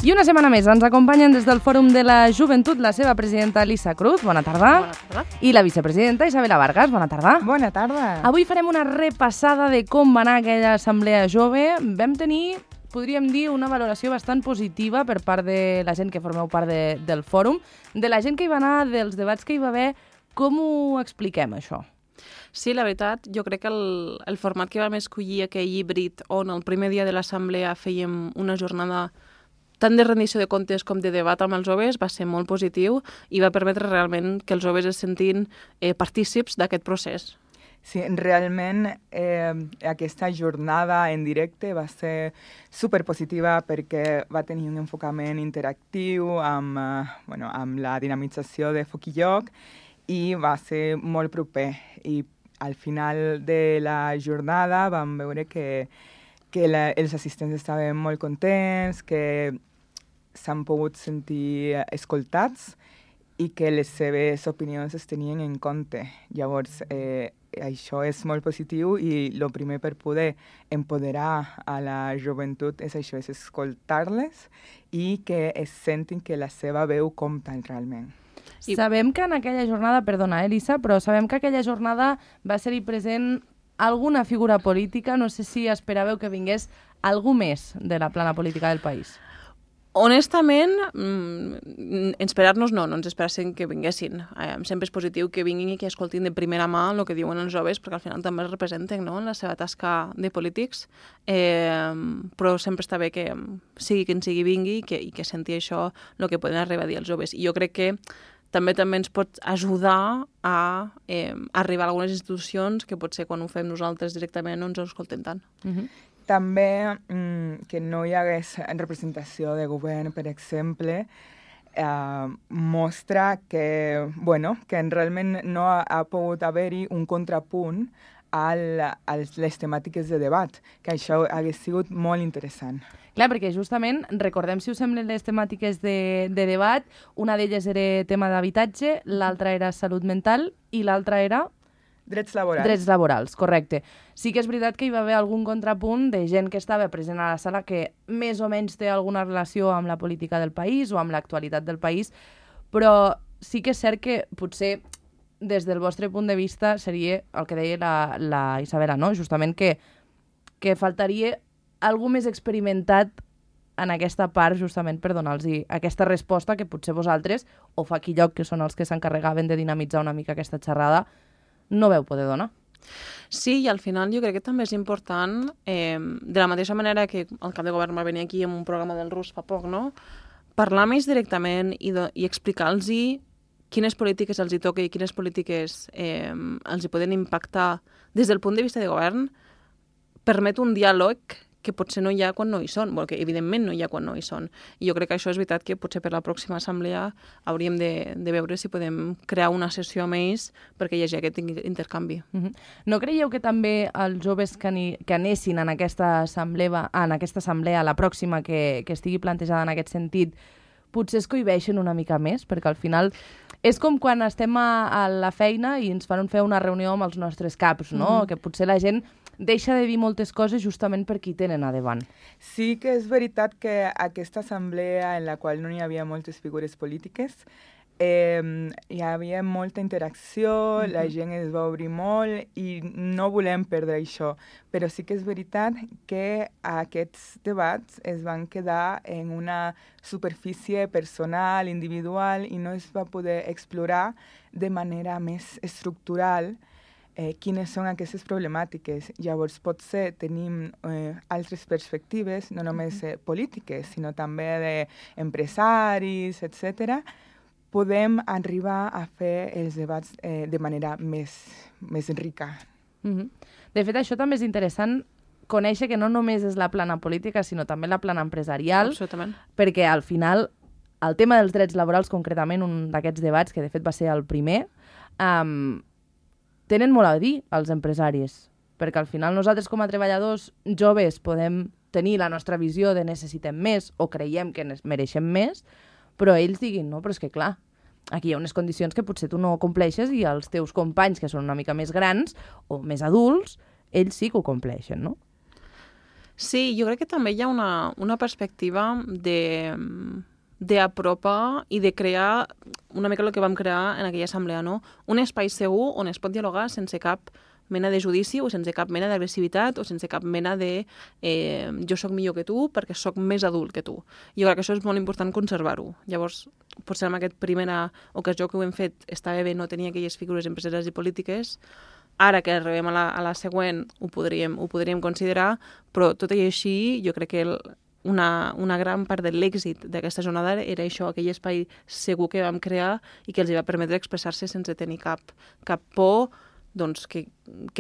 I una setmana més ens acompanyen des del Fòrum de la Joventut la seva presidenta Elisa Cruz, bona tarda. Bona tarda. I la vicepresidenta Isabela Vargas, bona tarda. Bona tarda. Avui farem una repassada de com va anar aquella assemblea jove. Vam tenir, podríem dir, una valoració bastant positiva per part de la gent que formeu part del fòrum, de la gent que hi va anar, dels debats que hi va haver. Com ho expliquem, això? Sí, la veritat, jo crec que el format que vam escollir aquell híbrid on el primer dia de l'assemblea fèiem una jornada tant de rendició de comptes com de debat amb els joves va ser molt positiu i va permetre realment que els joves es sentin partícips d'aquest procés. Sí, realment aquesta jornada en directe va ser superpositiva perquè va tenir un enfocament interactiu amb la dinamització de Foc i Lloc i va ser molt proper. I al final de la jornada vam veure que els assistents estaven molt contents, que s'han pogut sentir escoltats i que les seves opinions es tenien en compte. Llavors, això és molt positiu i el primer per poder empoderar a la joventut és això, és escoltar-les i que es sentin que la seva veu compta realment. Sabem que en aquella jornada, perdona, Elisa, però sabem que aquella jornada va ser-hi present alguna figura política. No sé si esperàveu que vingués algú més de la plana política del país. Honestament, esperar-nos no ens esperàssim que vinguessin. Sempre és positiu que vinguin i que escoltin de primera mà el que diuen els joves, perquè al final també els representen, no?, en la seva tasca de polítics, però sempre està bé que sigui qui sigui vingui i que senti això el que poden arribar a dir els joves. I jo crec que també ens pot ajudar a arribar a algunes institucions que potser quan ho fem nosaltres directament no ens ho escolten tant. També que no hi hagués representació de govern, per exemple, mostra que realment no ha pogut haver-hi un contrapunt a les temàtiques de debat, que això hagués sigut molt interessant. Clar, perquè justament, recordem si us semblen les temàtiques de debat, una d'elles era tema d'habitatge, l'altra era salut mental i l'altra era... Drets laborals. Drets laborals, correcte. Sí que és veritat que hi va haver algun contrapunt de gent que estava present a la sala que més o menys té alguna relació amb la política del país o amb l'actualitat del país, però sí que és cert que potser des del vostre punt de vista seria el que deia la Isabela, no? Justament que faltaria algú més experimentat en aquesta part justament per donar-los aquesta resposta que potser vosaltres, o fa aquí lloc, que són els que s'encarregaven de dinamitzar una mica aquesta xerrada, no veu poder donar. Sí, i al final jo crec que també és important, de la mateixa manera que el cap de govern va venir aquí amb un programa del RUS fa poc, no?, parlar més directament i explicar-los quines polítiques els hi toca i quines polítiques els hi poden impactar des del punt de vista de govern, permet un diàleg que potser no hi ha quan no hi són, que evidentment no hi ha quan no hi són. I jo crec que això és veritat que potser per la pròxima assemblea hauríem de veure si podem crear una sessió amb ells perquè hi hagi aquest intercanvi. No creieu que també els joves que anessin en aquesta assemblea, la pròxima que estigui plantejada en aquest sentit, potser es cohibeixen una mica més? Perquè al final és com quan estem a la feina i ens fan fer una reunió amb els nostres caps, no? Que potser la gent deixa de dir moltes coses justament per qui tenen a davant. Sí que és veritat que aquesta assemblea en la qual no hi havia moltes figures polítiques, hi havia molta interacció, la gent es va obrir molt i no volem perdre això. Però sí que és veritat que aquests debats es van quedar en una superfície personal, individual, i no es va poder explorar de manera més estructural quines són aquestes problemàtiques. Llavors, potser tenim altres perspectives, no només polítiques, sinó també d'empresaris, etc. Podem arribar a fer els debats de manera més rica. De fet, això també és interessant conèixer que no només és la plana política, sinó també la plana empresarial, perquè al final el tema dels drets laborals, concretament, un d'aquests debats, que de fet va ser el primer, tenen molt a dir els empresaris, perquè al final nosaltres com a treballadors joves podem tenir la nostra visió de necessitem més o creiem que mereixem més, però ells diguin, no, però és que clar, aquí hi ha unes condicions que potser tu no compleixes i els teus companys, que són una mica més grans o més adults, ells sí que ho compleixen, no? Sí, jo crec que també hi ha una perspectiva d'apropar i de crear una mica el que vam crear en aquella assemblea, no? Un espai segur on es pot dialogar sense cap mena de judici o sense cap mena d'agressivitat o sense cap mena de jo sóc millor que tu perquè sóc més adult que tu. Jo crec que això és molt important conservar-ho. Llavors, potser en aquesta primera ocasió que ho hem fet estava bé no tenir aquelles figures empresarials i polítiques. Ara que arribem a la següent ho podríem considerar, però tot i així jo crec que una gran part de l'èxit d'aquesta jornada era això, aquell espai segur que vam crear i que els va permetre expressar-se sense tenir cap por, doncs que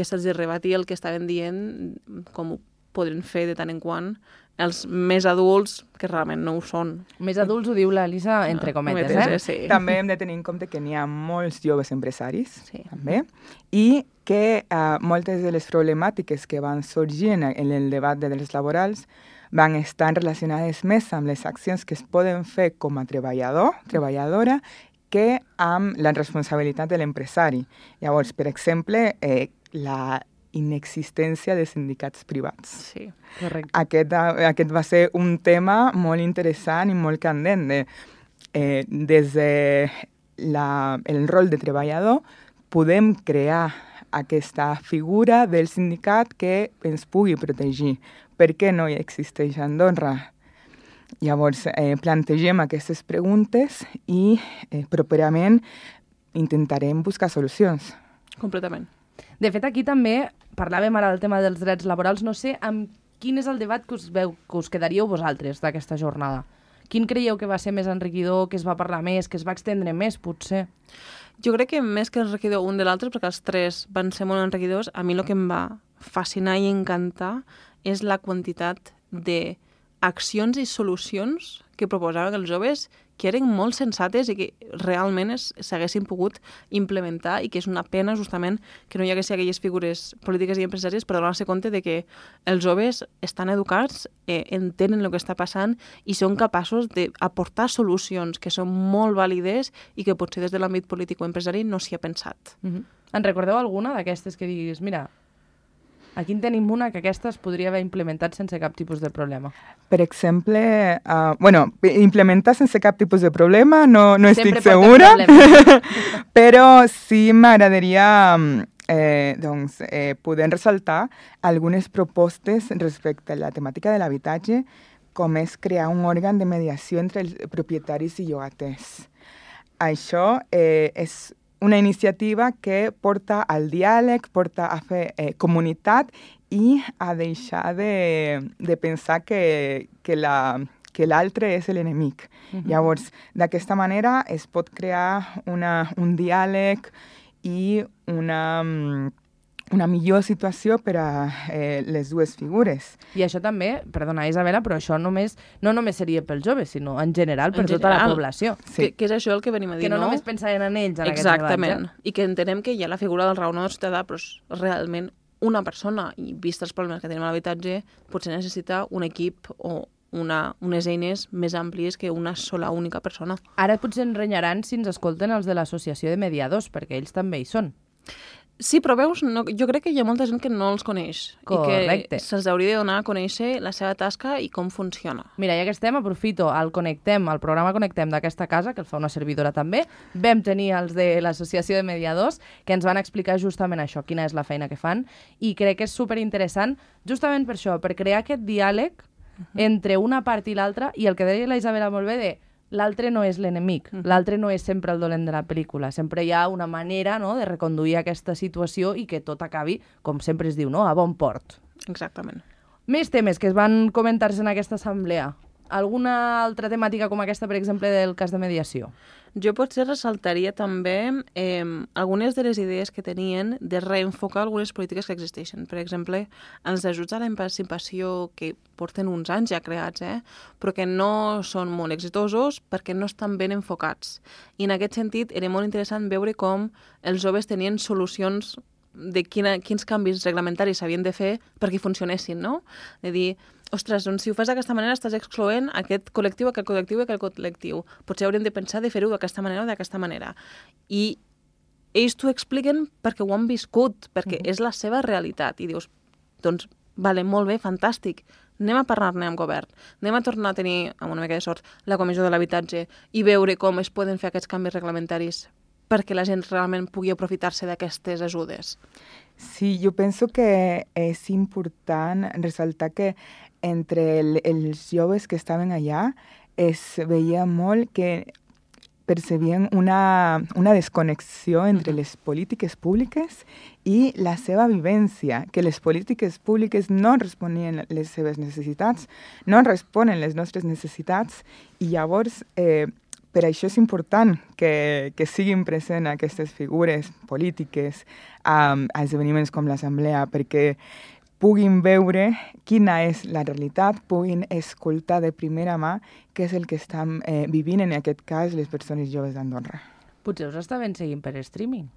se'ls rebatia el que estaven dient, com ho podrien fer de tant en quant els més adults, que realment no ho són. Més adults ho diu l'Elisa entre cometes, Sí. També hem de tenir en compte que n'hi ha molts joves empresaris, també, i que moltes de les problemàtiques que van sorgir en el debat de drets laborals van estar relacionades més amb les accions que es poden fer com a treballadora, que amb la responsabilitat de l'empresari. Llavors, per exemple, la inexistència de sindicats privats. Sí, correcte. Aquest va ser un tema molt interessant i molt candent. Des del rol de treballador podem crear aquesta figura del sindicat que ens pugui protegir. Per què no hi existeix a Andorra? Llavors, plantegem aquestes preguntes i properament intentarem buscar solucions. Completament. De fet, aquí també parlàvem ara del tema dels drets laborals. No sé amb quin és el debat que us quedaríeu vosaltres d'aquesta jornada. Quin creieu que va ser més enriquidor, que es va parlar més, que es va extendre més, potser? Jo crec que més que enriquidor un de l'altre, perquè els tres van ser molt enriquidors, a mi el que em va fascinar i encantar és la quantitat d'accions i solucions que proposaven els joves que eren molt sensates i que realment s'haguessin pogut implementar i que és una pena justament que no hi haguessin aquelles figures polítiques i empresàries per donar-se compte de que els joves estan educats, entenen el que està passant i són capaços d'aportar solucions que són molt vàlides i que potser des de l'àmbit polític o empresari no s'hi ha pensat. En recordeu alguna d'aquestes que diguis, mira, aquí en tenim una que aquesta es podria haver implementat sense cap tipus de problema? Per exemple, implementar sense cap tipus de problema no estic segura, però sí m'agradaria poder ressaltar algunes propostes respecte a la temàtica de l'habitatge, com és crear un òrgan de mediació entre els propietaris i llogaters. Això és una iniciativa que porta al diàleg, porta a fer comunitat i a deixar de pensar que l'altre és l'enemic. Llavors, d'aquesta manera es pot crear un diàleg i una millor situació per a les dues figures. I això també, perdona Isabela, però això no només seria pels joves, sinó en general per tota la població. Sí. Que és això el que venim a dir, no? Que no només pensaven en ells en aquest debat. Exactament. I que entenem que hi ha la figura del raonador ciutadà, però realment una persona, i vist els problemes que tenim a l'habitatge, potser necessita un equip o unes eines més àmplies que una sola única persona. Ara potser ens renyaran si ens escolten els de l'associació de mediadors, perquè ells també hi són. Sí, però veus, jo crec que hi ha molta gent que no els coneix. Correcte. I que se'ls hauria de donar a conèixer la seva tasca i com funciona. Mira, ja que estem, aprofito el programa Connectem d'aquesta casa, que el fa una servidora també. Vam tenir els de l'Associació de Mediadors, que ens van explicar justament això, quina és la feina que fan, i crec que és superinteressant, justament per això, per crear aquest diàleg entre una part i l'altra, i el que deia la Isabela molt bé de l'altre no és l'enemic, l'altre no és sempre el dolent de la pel·lícula, sempre hi ha una manera, no, de reconduir aquesta situació i que tot acabi, com sempre es diu, no, a bon port. Exactament. Més temes que es van comentar-se en aquesta assemblea. Alguna altra temàtica com aquesta, per exemple, del cas de mediació? Jo potser ressaltaria també algunes de les idees que tenien de reenfocar algunes polítiques que existeixen. Per exemple, els ajuts a l'emancipació que porten uns anys ja creats, però que no són molt exitosos perquè no estan ben enfocats. I en aquest sentit era molt interessant veure com els joves tenien solucions de quins canvis reglamentaris s'havien de fer perquè funcionessin, no? De dir, ostres, doncs si ho fas d'aquesta manera estàs excloent aquest col·lectiu, aquell col·lectiu i aquell col·lectiu. Potser hauríem de pensar de fer-ho d'aquesta manera o d'aquesta manera. I ells t'ho expliquen perquè ho han viscut, perquè és la seva realitat. I dius, doncs, vale, molt bé, fantàstic, anem a parlar-ne amb govern, anem a tornar a tenir, amb una mica de sort, la comissió de l'habitatge i veure com es poden fer aquests canvis reglamentaris perquè la gent realment pugui aprofitar-se d'aquestes ajudes. Sí, yo pienso que es importante resaltar que entre els joves que estaven allà es veia molt que percebien una desconnexió entre les polítiques públiques i la seva vivència, que les polítiques públiques no responien les seves necessitats, no responen les nostres necessitats, i llavors per això és important que siguin presents aquestes figures polítiques a esdeveniments com l'Assemblea, perquè puguin veure quina és la realitat, puguin escoltar de primera mà què és el que estan vivint, en aquest cas, les persones joves d'Andorra. Potser us estaven seguint per streaming.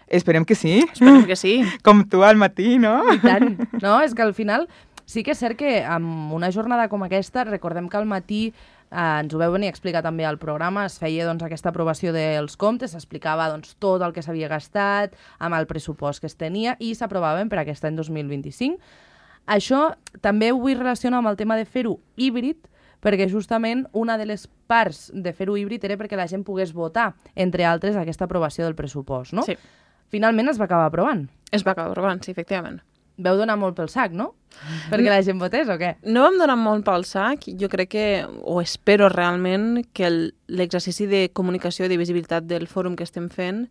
Esperem que sí. Esperem que sí. Com tu al matí, no? I tant. No, és que al final sí que és cert que amb una jornada com aquesta, recordem que al matí ens ho veu venir a explicar també al programa, es feia doncs, aquesta aprovació dels comptes, s'explicava doncs, tot el que s'havia gastat, amb el pressupost que es tenia, i s'aprovaven per aquest any 2025. Això també ho vull relacionar amb el tema de fer-ho híbrid, perquè justament una de les parts de fer-ho híbrid era perquè la gent pogués votar, entre altres, aquesta aprovació del pressupost, no? Sí. Finalment es va acabar aprovant. Es va acabar aprovant, sí, efectivament. Veu donar molt pel sac, no? Perquè la gent votés o què? No vam donar molt pel sac. Jo crec que, o espero realment, que l'exercici de comunicació i de visibilitat del fòrum que estem fent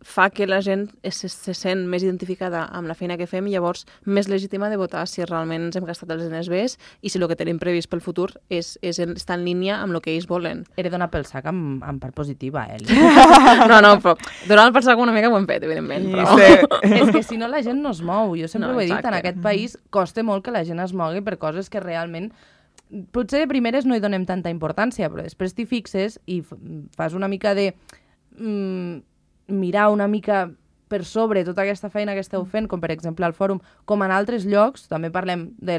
fa que la gent se sent més identificada amb la feina que fem i llavors més legítima de votar si realment ens hem gastat els diners bé i si el que tenim previst pel futur està en línia amb el que ells volen. Era donar pel sac amb part positiva, No, però donar pel sac una mica ho hem fet, evidentment. Però... És que si no la gent no es mou. Jo sempre ho he dit, en aquest país costa molt que la gent es mogui per coses que realment potser de primeres no hi donem tanta importància, però després t'hi fixes i fas una mica de... mirar una mica per sobre tota aquesta feina que esteu fent, com per exemple al fòrum, com en altres llocs, també parlem de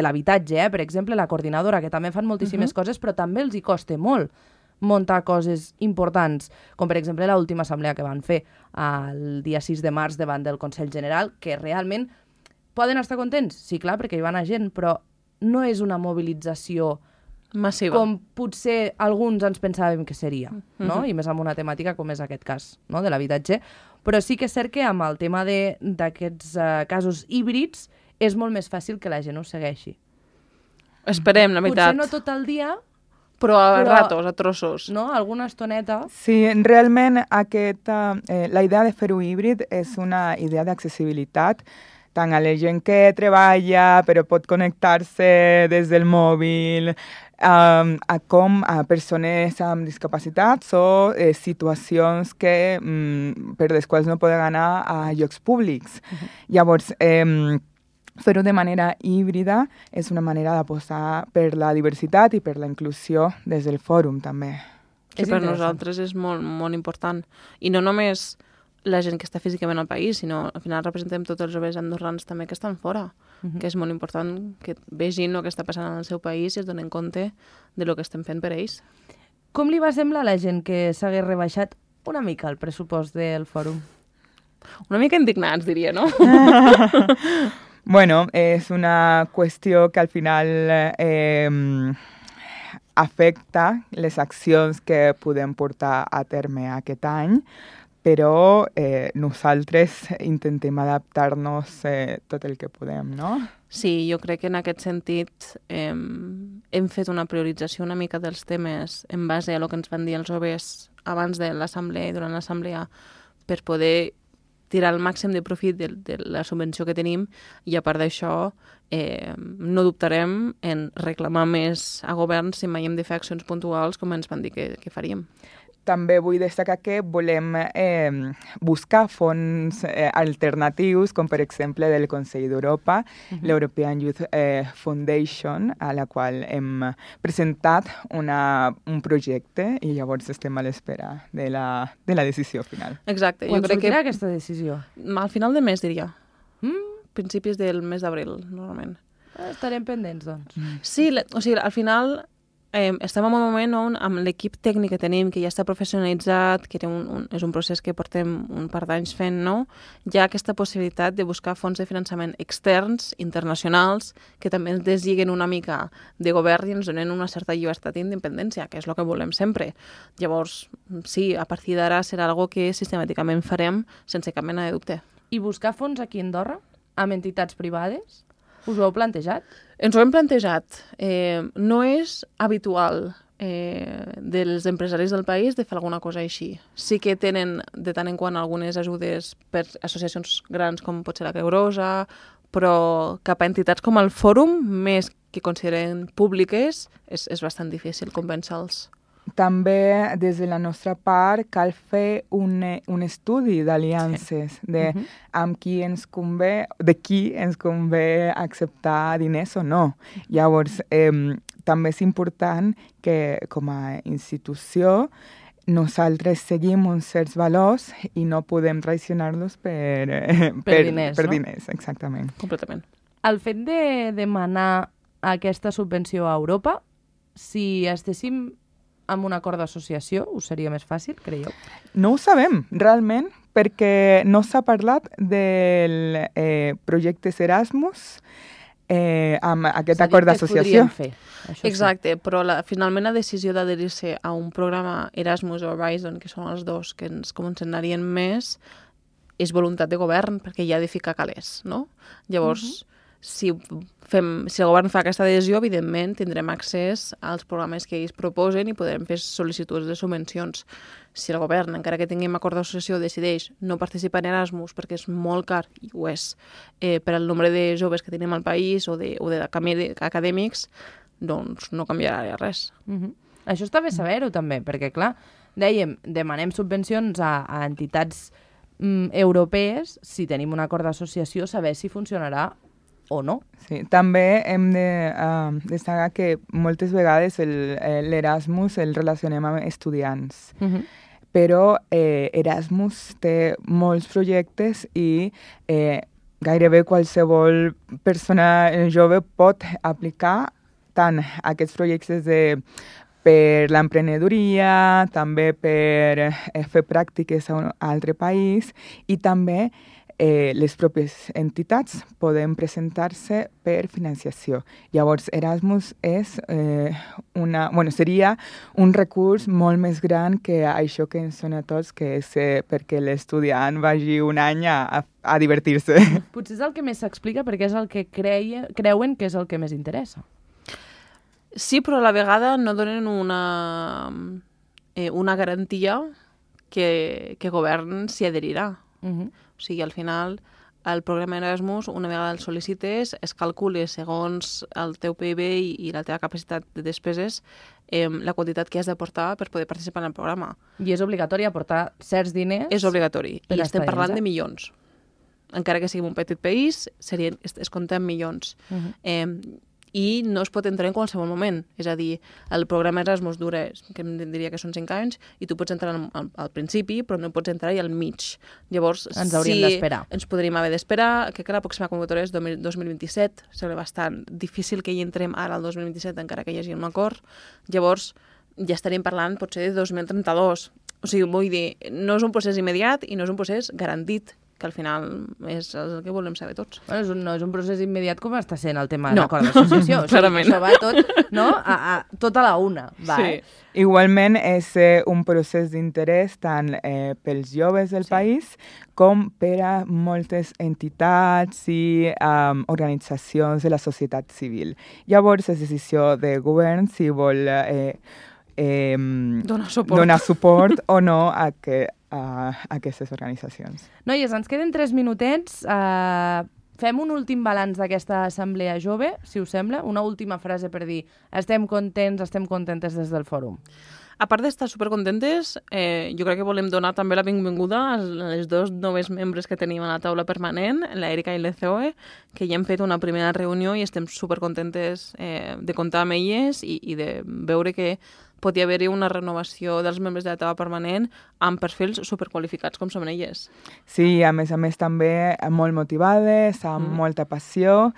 l'habitatge, per exemple, la coordinadora, que també fan moltíssimes coses, però també els hi costa molt muntar coses importants, com per exemple l'última assemblea que van fer el dia 6 de març davant del Consell General, que realment poden estar contents, sí, clar, perquè hi va anar gent, però no és una mobilització massiva, com potser alguns ens pensàvem que seria, no? I més amb una temàtica com és aquest cas, no? De l'habitatge. Però sí que és cert que amb el tema d'aquests casos híbrids és molt més fàcil que la gent ho segueixi. Esperem, la veritat. Potser no tot el dia, però a ratos, a trossos. No? Alguna estoneta. Sí, realment la idea de fer-ho híbrid és una idea d'accessibilitat tant a la gent que treballa però pot connectar-se des del mòbil, com a persones amb discapacitats o situacions que, per les quals no poden anar a llocs públics. Llavors, fer-ho de manera híbrida és una manera d'apostar per la diversitat i per la inclusió des del fòrum, també. Que per nosaltres és molt, molt important. I no només la gent que està físicament al país, sinó al final representem tots els joves andorrans també que estan fora, que és molt important que vegin el que està passant en el seu país i es donen compte de lo que estem fent per ells. Com li va semblar a la gent que s'hagués rebaixat una mica el pressupost del fòrum? Una mica indignats, diria, no? Bueno, és una qüestió que al final afecta les accions que podem portar a terme aquest any, però nosaltres intentem adaptar-nos tot el que podem, no? Sí, jo crec que en aquest sentit hem fet una priorització una mica dels temes en base a el que ens van dir els joves abans de l'assemblea i durant l'assemblea per poder tirar el màxim de profit de la subvenció que tenim i a part d'això no dubtarem en reclamar més a govern si mai hem de fer accions puntuals com ens van dir que faríem. També vull destacar que volem buscar fons alternatius, com per exemple del Consell d'Europa, l'European Youth Foundation, a la qual hem presentat un projecte i llavors estem a l'espera de la decisió final. Exacte. Quan sortirà aquesta decisió? Al final de mes, diria. Principis del mes d'abril, normalment. Estarem pendents, doncs. Sí, o sigui, al final estem en un moment on amb l'equip tècnic que tenim, que ja està professionalitzat, que és un procés que portem un par d'anys fent, no? Hi ha aquesta possibilitat de buscar fons de finançament externs, internacionals, que també ens deslliguen una mica de govern i ens donen una certa llibertat i independència, que és el que volem sempre. Llavors, sí, a partir d'ara serà algo que sistemàticament farem sense cap mena de dubte. I buscar fons aquí a Andorra, amb entitats privades? Us ho heu plantejat? Ens ho hem plantejat. No és habitual dels empresaris del país de fer alguna cosa així. Sí que tenen de tant en quant algunes ajudes per associacions grans com pot ser la Creu Roja, però cap a entitats com el Fòrum, més que consideren públiques, és bastant difícil convèncer-los. També, des de la nostra part, cal fer un estudi d'aliances, de amb qui ens convé, de qui ens convé acceptar diners o no. Llavors, també és important que, com a institució, nosaltres seguim uns certs valors i no podem traicionar-los per diners, no? Diners, exactament. Completament. El fet de demanar aquesta subvenció a Europa, si estéssim amb un acord d'associació, us seria més fàcil, creieu? No ho sabem, realment, perquè no s'ha parlat del projecte Erasmus amb aquest acord d'associació. Exacte, però finalment la decisió d'adherir-se a un programa Erasmus o Horizon, que són els dos que ens començarien més, és voluntat de govern, perquè hi ha de ficar calés, no? Llavors, si el govern fa aquesta adhesió, evidentment tindrem accés als programes que ells proposen i podrem fer sol·licituds de subvencions. Si el govern, encara que tinguem acord d'associació, decideix no participar en Erasmus perquè és molt car, i ho és, per al nombre de joves que tenim al país o d'acadèmics, doncs no canviarà res. Això està bé saber-ho també, perquè clar, dèiem, demanem subvencions a entitats europees, si tenim un acord d'associació, saber si funcionarà o no. Sí, també hem de destacar que moltes vegades l'Erasmus el relacionem amb estudiants. Però Erasmus té molts projectes i gairebé qualsevol persona jove pot aplicar tant aquests projectes per l'emprenedoria, també per fer pràctiques a un altre país i també les pròpies entitats poden presentar-se per financiació. Llavors, Erasmus és seria un recurs molt més gran que això que ens sona a tots, que és perquè l'estudiant vagi un any a divertir-se. Potser és el que més s'explica perquè és el que creuen que és el que més interessa. Sí, però a la vegada no donen una garantia que el govern s'hi adherirà. O sigui, al final, el programa Erasmus, una vegada el sol·licites, es calcula segons el teu PIB i la teva capacitat de despeses la quantitat que has d'aportar per poder participar en el programa. I és obligatori aportar certs diners? És obligatori. I estem parlant de milions. Encara que siguem un petit país, es compta en milions. I no es pot entrar en qualsevol moment. És a dir, el programa Erasmus dura, que em diria que són 5 anys, i tu pots entrar al principi, però no pots entrar-hi al mig. Llavors, ens hauríem d'esperar. Ens podríem haver d'esperar, que la pròxima convocatòria és 2027, sembla bastant difícil que hi entrem ara al 2027, encara que hi hagi un acord. Llavors, ja estaríem parlant potser de 2032. O sigui, vull dir, no és un procés immediat i no és un procés garantit, que al final és el que volem saber tots. Bueno, no és un procés immediat com està sent el tema de l'acord d'associació. Clarament. Això va tot, no? Tot a la una. Va, sí. Igualment és un procés d'interès tant pels joves del país com per a moltes entitats i organitzacions de la societat civil. Llavors és decisió de govern si vol donar suport o no a aquestes organitzacions. Noies, ens queden 3 minutets. Fem un últim balanç d'aquesta assemblea jove, si us sembla. Una última frase per dir estem contents, estem contentes des del fòrum. A part d'estar supercontentes, jo crec que volem donar també la benvinguda a les 2 noves membres que tenim a la taula permanent, l'Erika i l'Ezoe, que ja hem fet una primera reunió i estem supercontentes de comptar amb elles i de veure que pot haver-hi una renovació dels membres de la taula permanent amb perfils superqualificats com som elles. Sí, a més també molt motivades, amb molta passió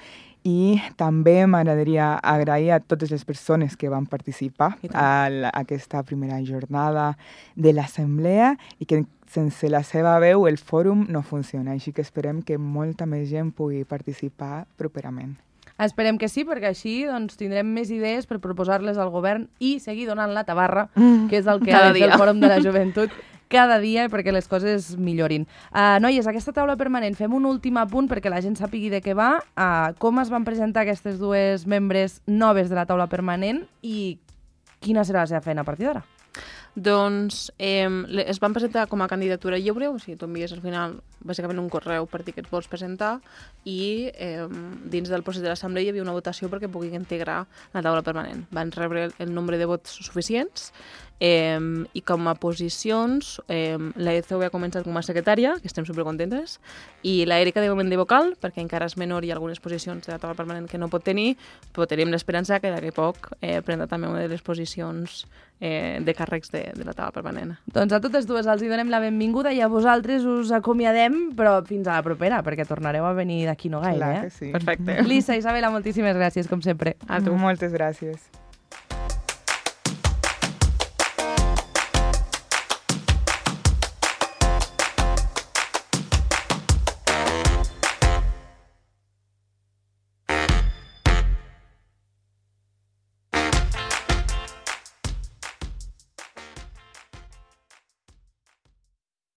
I també m'agradaria agrair a totes les persones que van participar a aquesta primera jornada de l'Assemblea i que sense la seva veu el fòrum no funciona, així que esperem que molta més gent pugui participar properament. Esperem que sí, perquè així doncs, tindrem més idees per proposar-les al govern i seguir donant la tabarra, que és el que ha de fer el Fòrum de la Joventut cada dia perquè les coses millorin. Noies, aquesta taula permanent, fem un últim apunt perquè la gent sàpigui de què va, com es van presentar aquestes dues membres noves de la taula permanent i quina serà la seva feina a partir d'ara. Doncs es van presentar com a candidatura lliure, o sigui, tu envies al final bàsicament un correu per dir que et vols presentar i dins del procés de l'assemblea hi havia una votació perquè puguin integrar la taula permanent. Van rebre el nombre de vots suficients i com a posicions la ECO ha començat com a secretària, que estem supercontentes, i la Erika de moment de vocal, perquè encara és menor i hi ha algunes posicions de la taula permanent que no pot tenir, però tenim l'esperança que d'aquí poc prendrà també una de les posicions de càrrecs de la taula permanent. Doncs a totes dues els hi donem la benvinguda i a vosaltres us acomiadem, però fins a la propera, perquè tornareu a venir d'aquí no gaire. Clar que sí. Perfecte. Lisa, Isabela, moltíssimes gràcies, com sempre. A tu. Moltes gràcies.